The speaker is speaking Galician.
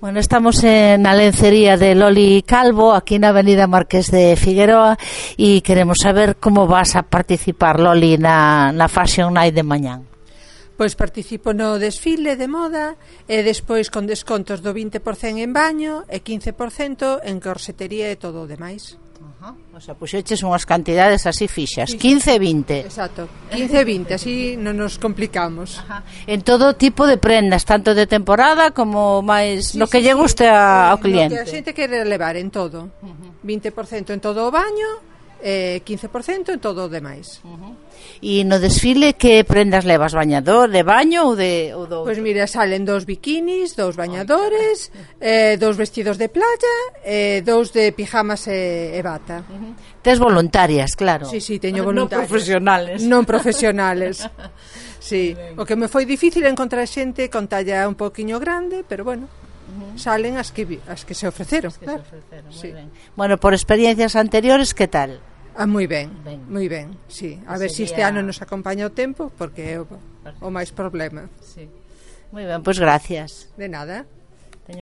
Bueno, estamos na lencería de Loli Calvo, aquí na avenida Marqués de Figueroa, e queremos saber como vas a participar, Loli, na Fashion Night de mañán. Pois participo no desfile de moda e despois con descontos do 20% en baño e 15% en corsetería e todo o demais. O sea, puxeches unhas cantidades así fixas, 15 e 20. Exacto, 15 e 20, así non nos complicamos. En todo tipo de prendas, tanto de temporada como máis no que lle guste ao cliente. No que a xente quere levar en todo. 20% en todo o baño e 15% en todo o demais. E no desfile que prendas levas, bañador, de baño ou de outro? Pois mira, salen 2 bikinis, 2 bañadores, 2 vestidos de playa e 2 de pijamas e bata. Tes voluntarias, claro. Sí, teño voluntarias. Non profesionales. Non profesionales. Sí, o que me foi difícil encontrar xente con talla un poquiño grande, pero bueno, salen as que se ofreceron. Claro. Sí. Ben. Bueno, por experiencias anteriores, que tal? Moi ben, sí. A ver se este ano nos acompaña o tempo, porque é o máis problema. Sí. Moi ben, pois gracias. De nada.